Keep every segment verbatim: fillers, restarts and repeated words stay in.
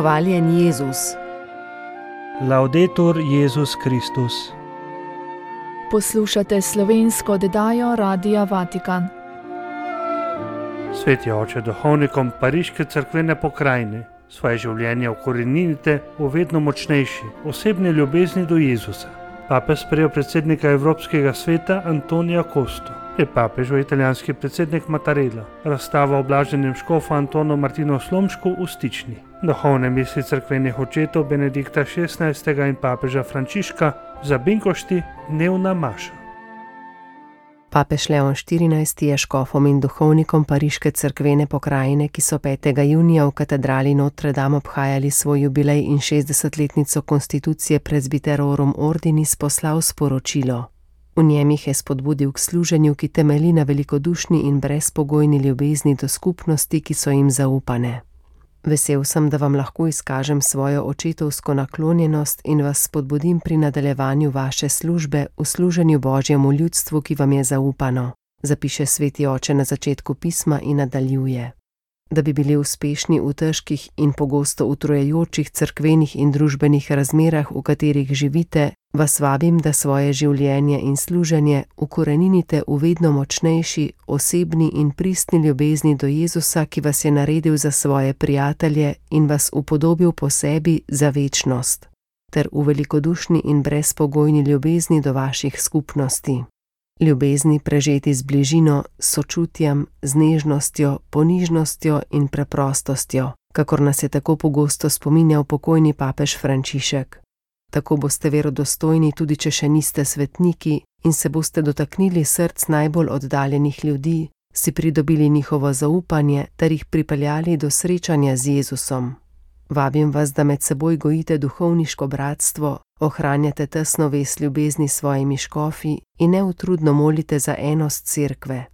Hvaljen Jezus. Laudetur Jezus Kristus. Poslušate slovensko oddajo Radia Vatikan. Sveti oče, duhovnikom Pariške cerkvene pokrajine svoje življenje ukoreninite v vedno močnejši osebni ljubezni do Jezusa. Papež sprejel predsednika Evropskega sveta Antonija Costo. Je papežov italijanski predsednik Mattarella razstava o blaženem škofu Antonu Martinu Slomšku v Stični. Duhovne misli cerkvenih očetov Benedikta šestnajstega in papeža Frančiška za Binkošti dnevna maša. Papež Leon štirinajsti je škofom in duhovnikom Pariške cerkvene pokrajine, ki so petega junija v katedrali Notre Dame obhajali svoj jubilej in šestdesetletnico konstitucije Presbyterorum Ordinis, poslal sporočilo. V njem jih je spodbudil k služenju, ki temelji na velikodušni in brezpogojni ljubezni do skupnosti, ki so jim zaupane. Vesel sem, da vam lahko izkažem svojo očetovsko naklonjenost in vas spodbudim pri nadaljevanju vaše službe v služenju Božjemu ljudstvu, ki vam je zaupano, zapiše sveti oče na začetku pisma in nadaljuje. Da bi bili uspešni v težkih in pogosto utrujajočih cerkvenih in družbenih razmerah, v katerih živite, vas vabim, da svoje življenje in služenje ukoreninite v vedno močnejši, osebni in pristni ljubezni do Jezusa, ki vas je naredil za svoje prijatelje in vas upodobil po sebi za večnost, ter v velikodušni in brezpogojni ljubezni do vaših skupnosti. Ljubezni prežeti z bližino, sočutjem, z nežnostjo, ponižnostjo in preprostostjo, kakor nas je tako pogosto spominjal pokojni papež Frančišek. Tako boste verodostojni tudi, če še niste svetniki, in se boste dotaknili src najbolj oddaljenih ljudi, si pridobili njihovo zaupanje ter jih pripeljali do srečanja z Jezusom. Vabim vas, da med seboj gojite duhovniško bratstvo, ohranjate tesno vez ljubezni s svojimi škofi in neutrudno molite za enost cerkve.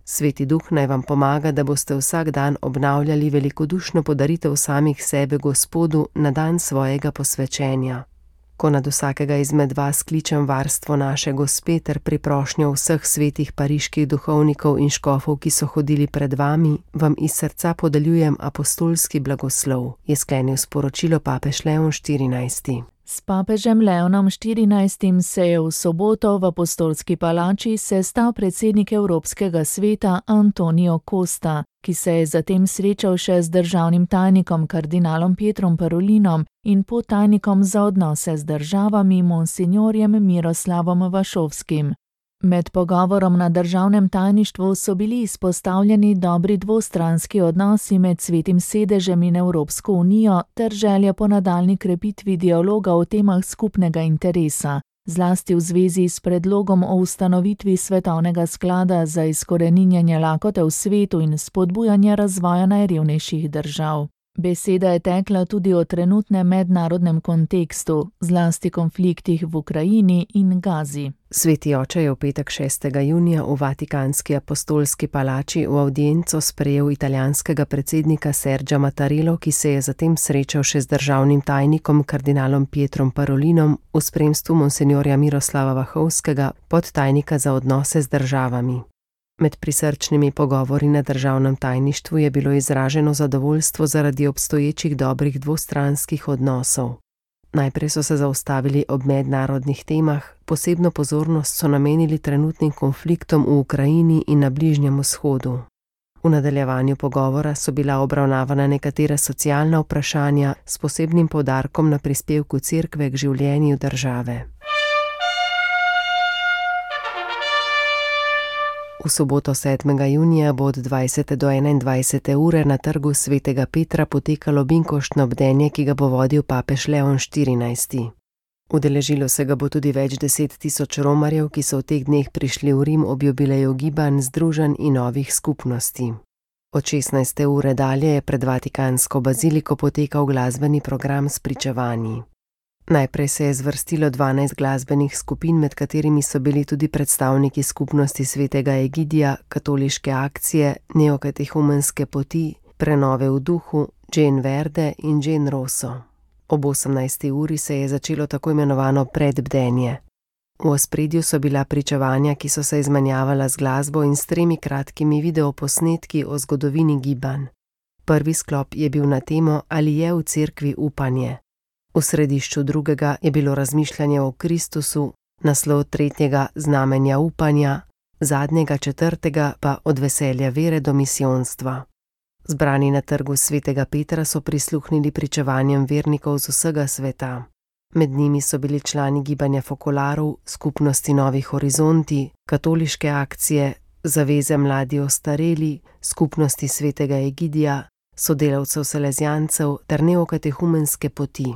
Sveti Duh naj vam pomaga, da boste vsak dan obnavljali velikodušno podaritev samih sebe Gospodu na dan svojega posvečenja. Ko nad vsakega izmed vas kličem varstvo naše Gospe ter priprošnjo vseh svetih pariških duhovnikov in škofov, ki so hodili pred vami, vam iz srca podeljujem apostolski blagoslov, je sklenil sporočilo papež Leon štirinajsti. S papežem Leonom štirinajstim se je v soboto v apostolski palači sestal predsednik Evropskega sveta Antonio Costa, ki se je zatem srečal še z državnim tajnikom kardinalom Pietrom Parolinom in podtajnikom za odnose z državami monsinjorjem Miroslavom Vašovskim. Med pogovorom na državnem tajništvu so bili izpostavljeni dobri dvostranski odnosi med Svetim sedežem in Evropsko unijo ter želja po nadaljnji krepitvi dialoga o temah skupnega interesa, zlasti v zvezi s predlogom o ustanovitvi Svetovnega sklada za izkoreninjanje lakote v svetu in spodbujanje razvoja najrevnejših držav. Beseda je tekla tudi o trenutnem mednarodnem kontekstu, zlasti konfliktih v Ukrajini in Gazi. Sveti oče je v petek šestega junija v Vatikanski apostolski palači v avdienco sprejel italijanskega predsednika Sergia Mattarello, ki se je zatem srečal še z državnim tajnikom kardinalom Pietrom Parolinom v spremstvu monsinjorja Miroslava Vašovskega, podtajnika za odnose z državami. Med prisrčnimi pogovori na državnem tajništvu je bilo izraženo zadovoljstvo zaradi obstoječih dobrih dvostranskih odnosov. Najprej so se zaustavili ob mednarodnih temah, posebno pozornost so namenili trenutnim konfliktom v Ukrajini in na Bližnjem vzhodu. V nadaljevanju pogovora so bila obravnavana nekatera socialna vprašanja s posebnim poudarkom na prispevku cerkve k življenju države. V soboto sedmega junija bo od dvajsete do enaindvajsete ure na trgu svetega Petra potekalo binkoštno bdenje, ki ga bo vodil papež Leon štirinajsti. Udeležilo se ga bo tudi več deset tisoč romarjev, ki so v teh dneh prišli v Rim ob jubileju gibanj, združenj in novih skupnosti. Od šestnajste ure dalje je pred Vatikansko baziliko potekal glasbeni program s pričevanji. Najprej se je zvrstilo dvanajst glasbenih skupin, med katerimi so bili tudi predstavniki skupnosti svetega Egidija, katoliške akcije, neokatehumenske poti, prenove v duhu, Jane Verde in Jane Rosso. Ob osemnajsti uri se je začelo tako imenovano predbdenje. V ospredju so bila pričevanja, ki so se izmenjavala z glasbo in s tremi kratkimi videoposnetki o zgodovini gibanj. Prvi sklop je bil na temo, ali je v cerkvi upanje. V središču drugega je bilo razmišljanje o Kristusu, naslov tretjega znamenja upanja, zadnjega četrtega pa od veselja vere do misijonstva. Zbrani na trgu svetega Petra so prisluhnili pričevanjem vernikov z vsega sveta. Med njimi so bili člani gibanja Fokolarov, skupnosti Novi horizonti, katoliške akcije, zaveze mladi ostareli, skupnosti svetega Egidija, sodelavcev salezijancev ter neokatehumenske poti.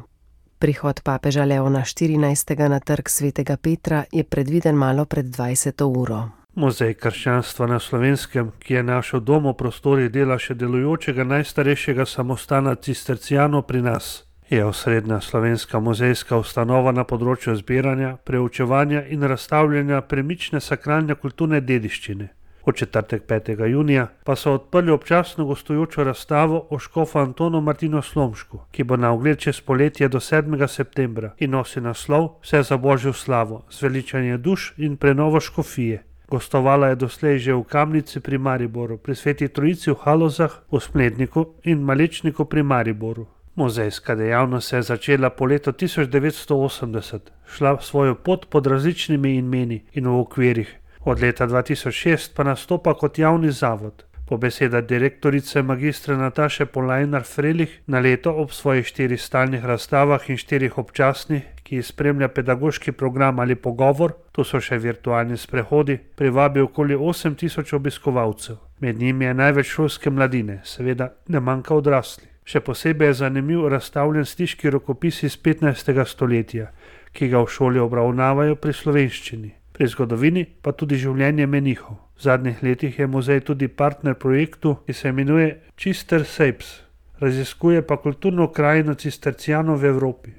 Prihod papeža Leona štirinajstega na trg svetega Petra je predviden malo pred dvajseto uro. Muzej krščanstva na Slovenskem, ki je našel dom v prostorih dela še delujočega najstarejšega samostana Cistercijanov pri nas, je osrednja slovenska muzejska ustanova na področju zbiranja, preučevanja in razstavljanja premične sakralne kulturne dediščine. V četrtek petega junija pa so odprli občasno gostujočo razstavo o škofu Antonu Martinu Slomšku, ki bo na ogled čez poletje do sedmega septembra in nosi naslov Vse za Božjo slavo, zveličanje duš in prenovo škofije. Gostovala je doslej že v Kamnici pri Mariboru, pri Sveti Trojici v Halozah, v Smledniku in Malečniku pri Mariboru. Muzejska dejavnost se je začela po letu tisoč devetsto osemdeset, šla svojo pot pod različnimi imeni in v okvirih. Od leta dva tisoč šest pa nastopa kot javni zavod. Po besedah direktorice magistra Nataše Polajnar-Frelih na leto ob svojih štirih stalnih razstavah in štirih občasnih, ki jih spremlja pedagoški program ali pogovor, tu so še virtualni sprehodi, privabi okoli osem tisoč obiskovalcev. Med njimi je največ šolske mladine, seveda ne manjka odrasli. Še posebej je zanimiv razstavljen stiški rokopis iz petnajstega stoletja, ki ga v šoli obravnavajo pri slovenščini. Pri zgodovini pa tudi življenje menihov. V zadnjih letih je muzej tudi partner projektu, ki se imenuje Cister Shapes. Raziskuje pa kulturno krajino Cistercijanov v Evropi.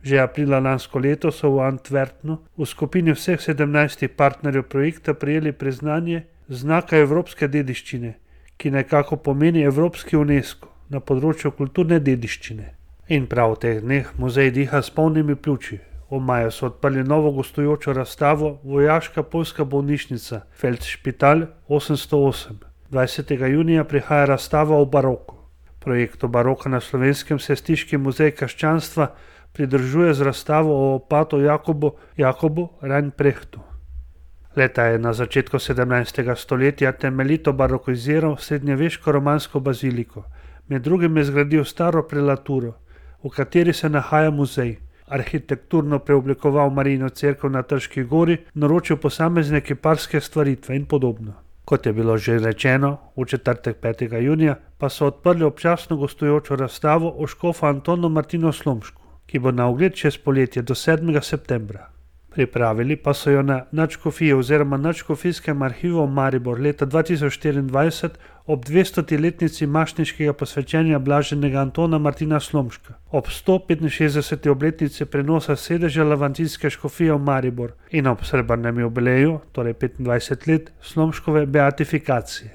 Že aprila lansko leto so v Antwerpnu v skupini vseh sedemnajstih partnerjev projekta prejeli priznanje znaka evropske dediščine, ki nekako pomeni Evropski UNESCO na področju kulturne dediščine. In prav v teh dneh muzej diha s polnimi pljuči. V maju so odprli novo gostujočo razstavo Vojaška poljska bolnišnica Feldšpital osemsto osem. dvajsetega junija prihaja razstava o baroku. Projektu baroka na Slovenskem se Stiški muzej krščanstva pridružuje z razstavo o opatu Jakobu, Jakobu Reinprechtu. Leta je na začetku sedemnajstega stoletja temeljito barokiziral srednjeveško romansko baziliko. Med drugim je zgradil staro prelaturo, v kateri se nahaja muzej. Arhitekturno preoblikoval Marijino cerkev na Trški gori, naročil posamezne kiparske stvaritve in podobno. Kot je bilo že rečeno, v četrtek petega junija pa so odprli občasno gostujočo razstavo o škofu Antonu Martinu Slomšku, ki bo na ogled čez poletje do sedmega septembra. Pripravili pa so jo na nadškofiji oziroma nadškofijskem arhivu Maribor leta dva tisoč štiriindvajset ob dvestoletnici mašniškega posvečenja blaženega Antona Martina Slomška, ob sto petinšestdeseti obletnici prenosa sedeža Lavantijske škofije v Maribor in ob srebrnem jubileju, torej petindvajset let, Slomškove beatifikacije.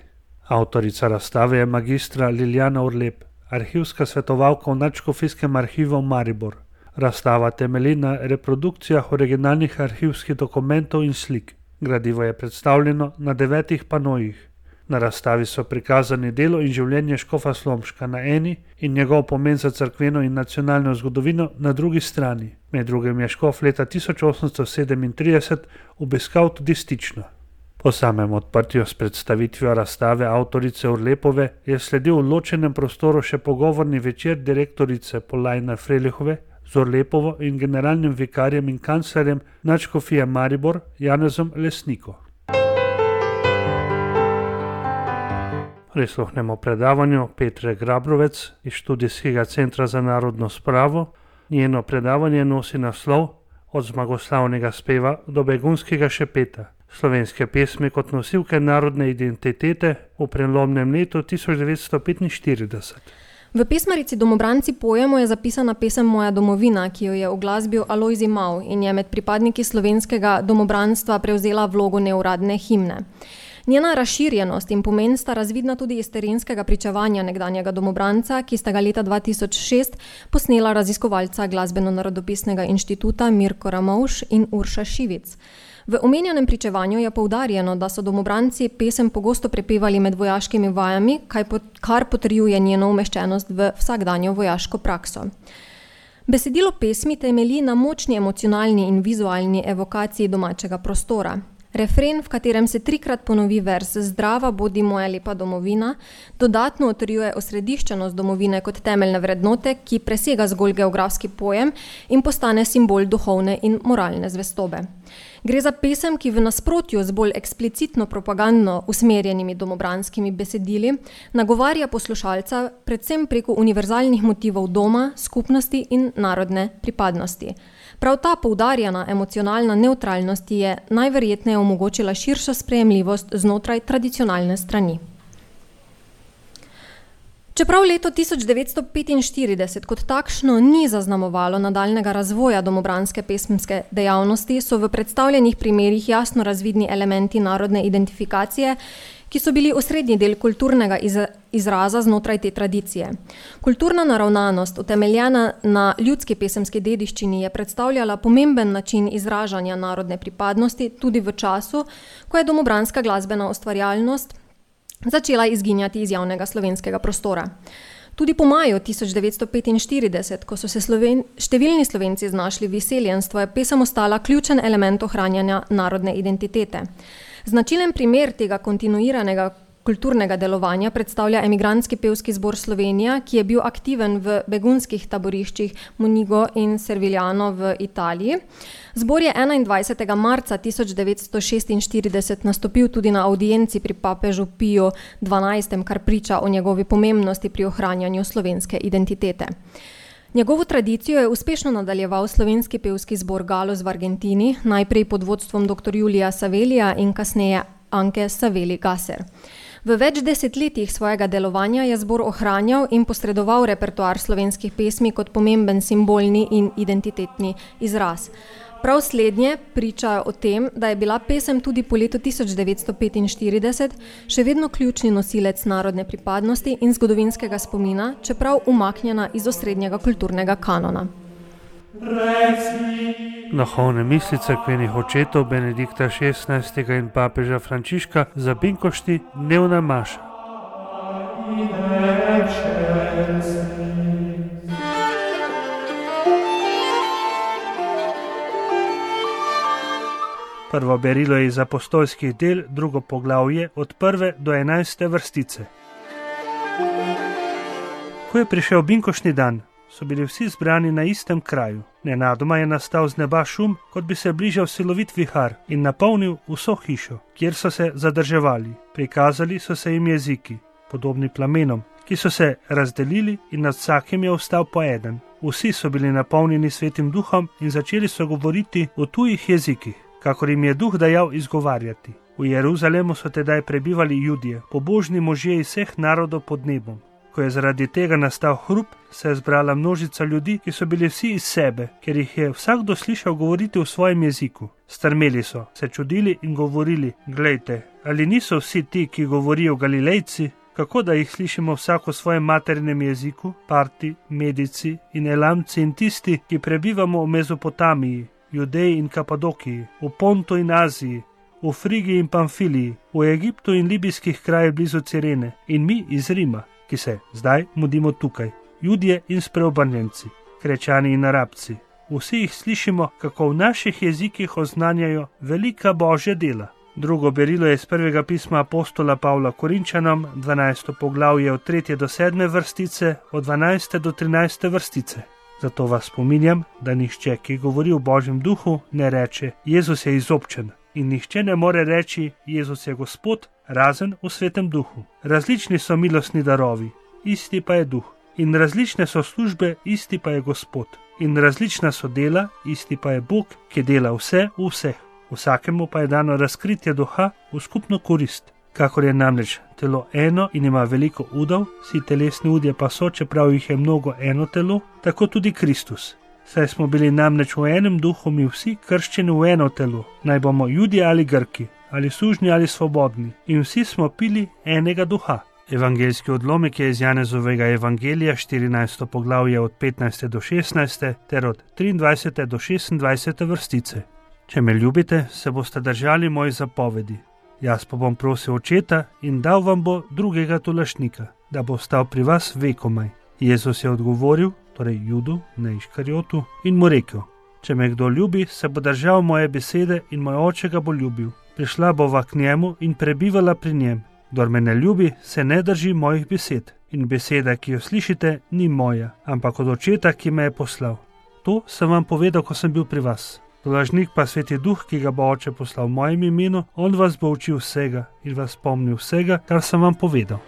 Avtorica razstave je magistra Liljana Urlep, arhivska svetovalka v nadškofijskem arhivu v Maribor. Razstava temelji na reprodukcijah originalnih arhivskih dokumentov in slik. Gradivo je predstavljeno na devetih panojih. Na razstavi so prikazani delo in življenje škofa Slomška na eni in njegov pomen za cerkveno in nacionalno zgodovino na drugi strani. Med drugim je škof leta tisoč osemsto sedemintrideset obiskal tudi Stično. Po samem odprtju s predstavitvijo razstave avtorice Urlepove je sledil v ločenem prostoru še pogovorni večer direktorice Polajnar-Frelihove z Urlepovo in generalnim vikarjem in kanclerjem nadškofije Maribor Janezom Lesniko. Prisluhnemo predavanju Petre Grabrovec iz Študijskega centra za narodno spravo. Njeno predavanje nosi naslov Od zmagoslavnega speva do begunskega šepeta. Slovenske pesmi kot nosilke narodne identitete v prelomnem letu tisoč devetsto petinštirideset. V pesmarici Domobranci pojemo je zapisana pesem Moja domovina, ki jo je uglasbil Alojzij Mav in je med pripadniki slovenskega domobranstva prevzela vlogo neuradne himne. Njena razširjenost in pomen sta razvidna tudi iz terenskega pričevanja nekdanjega domobranca, ki sta ga leta dva tisoč šest posnela raziskovalca Glasbeno-narodopisnega inštituta Mirko Ramovš in Urša Šivic. V omenjenem pričevanju je poudarjeno, da so domobranci pesem pogosto prepevali med vojaškimi vajami, kar potrjuje njeno umeščenost v vsakdanjo vojaško prakso. Besedilo pesmi temelji na močni emocionalni in vizualni evokaciji domačega prostora. Refren, v katerem se trikrat ponovi vers Zdrava bodi moja lepa domovina, dodatno utrjuje osrediščenost domovine kot temeljne vrednote, ki presega zgolj geografski pojem in postane simbol duhovne in moralne zvestobe. Gre za pesem, ki v nasprotju z bolj eksplicitno propagandno usmerjenimi domobranskimi besedili nagovarja poslušalca predvsem preko univerzalnih motivov doma, skupnosti in narodne pripadnosti. Prav ta poudarjena emocionalna nevtralnost je najverjetneje omogočila širšo sprejemljivost znotraj tradicionalne strani. Čeprav leto tisoč devetsto petinštirideset kot takšno ni zaznamovalo nadaljnjega razvoja domobranske pesmske dejavnosti, so v predstavljenih primerih jasno razvidni elementi narodne identifikacije, ki so bili osrednji del kulturnega izraza znotraj te tradicije. Kulturna naravnanost, utemeljena na ljudski pesemski dediščini, je predstavljala pomemben način izražanja narodne pripadnosti tudi v času, ko je domobranska glasbena ustvarjalnost začela izginjati iz javnega slovenskega prostora. Tudi po maju tisoč devetsto petinštirideset, ko so se Sloven... številni Slovenci znašli v izseljenstvu, je pesem ostala ključen element ohranjanja narodne identitete. Značilen primer tega kontinuiranega kulturnega delovanja predstavlja emigrantski pevski zbor Slovenija, ki je bil aktiven v begunskih taboriščih Monigo in Servigliano v Italiji. Zbor je enaindvajsetega marca tisoč devetsto šestinštirideset nastopil tudi na avdienci pri papežu Piju dvanajstem, kar priča o njegovi pomembnosti pri ohranjanju slovenske identitete. Njegovo tradicijo je uspešno nadaljeval slovenski pevski zbor Galus v Argentini, najprej pod vodstvom dr. Julija Savelija in kasneje Anke Saveli-Gasser. V več desetletjih svojega delovanja je zbor ohranjal in posredoval repertoar slovenskih pesmi kot pomemben simbolni in identitetni izraz. Prav slednje pričajo o tem, da je bila pesem tudi po letu tisoč devetsto petinštirideset še vedno ključni nosilec narodne pripadnosti in zgodovinskega spomina, čeprav umaknjena iz osrednjega kulturnega kanona. Duhovne misli cerkvenih očetov Benedikta šestnajstega in papeža Frančiška za Binkošti dnevna maša. Prvo berilo je iz apostolskih del, drugo poglavje od prve do enajste vrstice. Ko je prišel binkoštni dan, so bili vsi zbrani na istem kraju. Nenadoma je nastal z neba šum, kot bi se bližal silovit vihar in napolnil vso hišo, kjer so se zadrževali. Prikazali so se jim jeziki, podobni plamenom, ki so se razdelili in nad vsakim je ostal po eden. Vsi so bili napolnjeni svetim duhom in začeli so govoriti o tujih jezikih, kakor jim je duh dajal izgovarjati. V Jeruzalemu so tedaj prebivali Judje, pobožni možje iz vseh narodov pod nebom. Ko je zaradi tega nastal hrup, se je zbrala množica ljudi, ki so bili vsi iz sebe, ker jih je vsakdo slišal govoriti v svojem jeziku. Strmeli so, se čudili in govorili: glejte, ali niso vsi ti, ki govorijo Galilejci? Kako da jih slišimo vsak v svojem materinem jeziku, Parti, Medici in Elamci in tisti, ki prebivamo v Mezopotamiji, Judeji in Kapadokiji, v Pontu in Aziji, v Frigiji in Pamfiliji, v Egiptu in libijskih krajih blizu Cirene in mi iz Rima, ki se zdaj mudimo tukaj, Judje in spreobrnjenci, Krečani in Arabci. Vsi jih slišimo, kako v naših jezikih oznanjajo velika Božja dela. Drugo berilo je iz prvega pisma apostola Pavla Korinčanom, dvanajsto poglavje od tretje do sedme vrstice, od dvanajste do trinajste vrstice. Zato vas spominjam, da nihče, ki govori v Božjem duhu, ne reče: Jezus je izobčen, in nihče ne more reči: Jezus je Gospod, razen v svetem duhu. Različni so milostni darovi, isti pa je duh. In različne so službe, isti pa je Gospod. In različna so dela, isti pa je Bog, ki dela vse v vseh. Vsakemu pa je dano razkritje duha v skupno korist. Kakor je namreč telo eno in ima veliko udov, vsi telesni udje pa so, čeprav jih je mnogo, eno telo, tako tudi Kristus. Saj smo bili namreč v enem duhu mi vsi krščeni v eno telo, naj bomo Judje ali Grki, ali sužnji ali svobodni, in vsi smo pili enega duha. Evangeljski odlomek je iz Janezovega evangelija, štirinajsto poglavje od petnajste do šestnajste ter od triindvajsete do šestindvajsete vrstice. Če me ljubite, se boste držali mojih zapovedi. Jaz pa bom prosil Očeta in dal vam bo drugega tolašnika, da bo ostal pri vas vekomaj. Jezus je odgovoril, torej Judu, ne Iškarjotu, in mu rekel: Če me kdo ljubi, se bo držal moje besede in moj Oče ga bo ljubil. Prišla bova k njemu in prebivala pri njem. Kdor me ne ljubi, se ne drži mojih besed. In beseda, ki jo slišite, ni moja, ampak od Očeta, ki me je poslal. To sem vam povedal, ko sem bil pri vas. Tolažnik pa Sveti Duh, ki ga bo Oče poslal v mojem imenu, on vas bo učil vsega in vas spomnil vsega, kar sem vam povedal.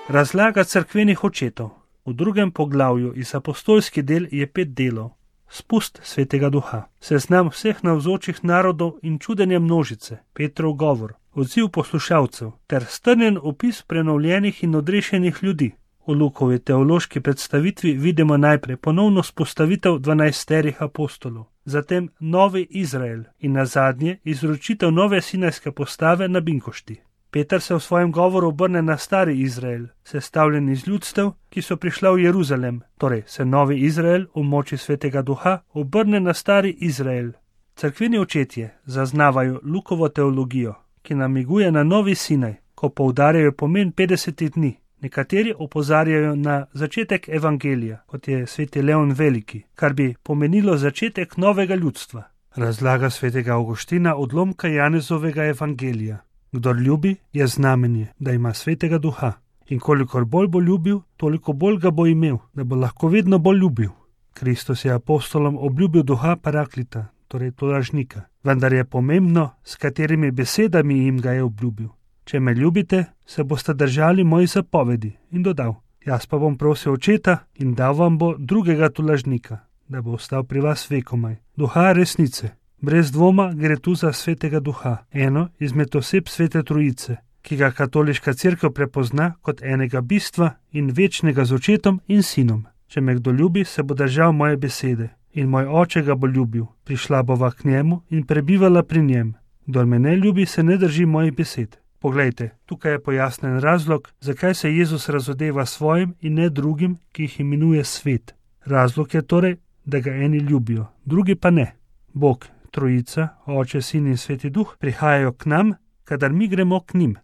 Razlaga cerkvenih očetov. V drugem poglavju iz apostolski del je pet delov. Spust Svetega Duha, seznam vseh navzočih narodov in čudenje množice, Petrov govor, odziv poslušalcev ter strnjen opis prenovljenih in odrešenih ljudi. V Lukovi teološki predstavitvi vidimo najprej ponovno spostavitev dvanajsterih apostolov, zatem novi Izrael in nazadnje izročitev nove sinajske postave na Binkošti. Peter se v svojem govoru obrne na stari Izrael, sestavljen iz ljudstev, ki so prišla v Jeruzalem, torej se novi Izrael v moči Svetega Duha obrne na stari Izrael. Cerkveni očetje zaznavajo Lukovo teologijo, ki namiguje na novi Sinaj, ko poudarjajo pomen petdesetih dni. Nekateri opozarjajo na začetek evangelija, kot je sveti Leon Veliki, kar bi pomenilo začetek novega ljudstva. Razlaga svetega Avguština odlomka Janezovega evangelija. Kdor ljubi, je znamenje, da ima Svetega Duha. In kolikor bolj bo ljubil, toliko bolj ga bo imel, da bo lahko vedno bolj ljubil. Kristus je apostolom obljubil Duha Paraklita, torej tolažnika. Vendar je pomembno, s katerimi besedami jim ga je obljubil. Če me ljubite, se boste držali mojih zapovedi, in dodal: Jaz pa bom prosil Očeta in dal vam bo drugega tolažnika, da bo ostal pri vas vekomaj. Duha resnice. Brez dvoma gre tu za Svetega Duha, eno izmed oseb Svete Trojice, ki ga katoliška cerkev prepozna kot enega bistva in večnega z Očetom in Sinom. Če me kdo ljubi, se bo držal moje besede, in moj Oče ga bo ljubil. Prišla bova k njemu in prebivala pri njem. Kdor me ne ljubi, se ne drži mojih besed. Poglejte, tukaj je pojasnen razlog, zakaj se Jezus razodeva svojim in ne drugim, ki jih imenuje svet. Razlog je torej, da ga eni ljubijo, drugi pa ne. Bog, Trojica, Oče, Sin in Sveti Duh prihajajo k nam, kadar mi gremo k njim.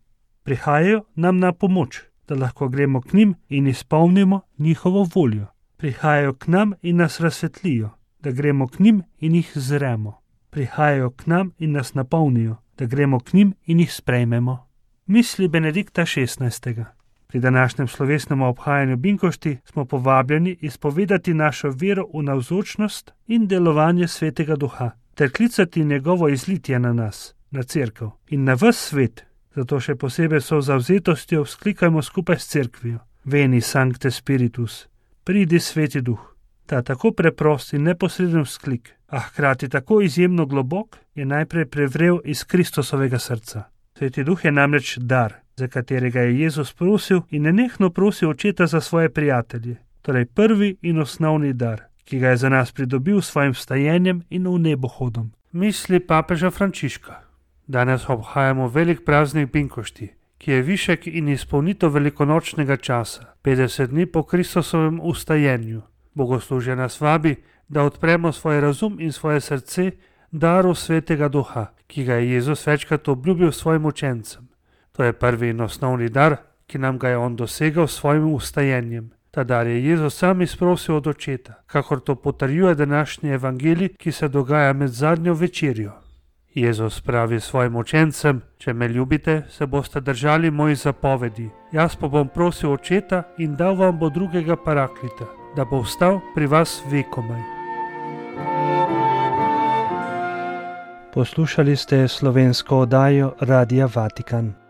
Prihajajo nam na pomoč, da lahko gremo k njim in izpolnimo njihovo voljo. Prihajajo k nam in nas razsvetlijo, da gremo k njim in jih zremo. Prihajajo k nam in nas napolnijo, da gremo k njim in jih sprejmemo. Misli Benedikta šestnajstega. Pri današnjem slovesnem obhajanju Binkošti smo povabljeni izpovedati našo vero v navzočnost in delovanje Svetega Duha, ter klicati njegovo izlitje na nas, na cerkev in na ves svet. Zato še posebej so zavzetostjo vzklikajmo skupaj s cerkvijo: Veni Sancte Spiritus, pridi Sveti Duh. Ta tako preprost in neposreden vzklik, a hkrati tako izjemno globok, je najprej prevrel iz Kristusovega srca. Sveti Duh je namreč dar, za katerega je Jezus prosil in nenehno prosil Očeta za svoje prijatelje, torej prvi in osnovni dar, ki ga je za nas pridobil s svojim vstajenjem in v nebohodom. Misli papeža Frančiška. Danes obhajamo velik praznik Binkošti, ki je višek in izpolnitev velikonočnega časa, petdeset dni po Kristusovem vstajenju. Bogoslužje nas vabi, da odpremo svoj razum in svoje srce daru Svetega Duha, ki ga je Jezus večkrat obljubil svojim učencem. To je prvi in osnovni dar, ki nam ga je on dosegal s svojim vstajenjem. Ta dar je Jezus sam izprosil od Očeta, kakor to potrjuje današnji evangelij, ki se dogaja med zadnjo večerjo. Jezus pravi svojim učencem: Če me ljubite, se boste držali mojih zapovedi. Jaz pa bom prosil Očeta in dal vam bo drugega Paraklita, da bo ostal pri vas vekomaj. Poslušali ste slovensko oddajo Radia Vatikan.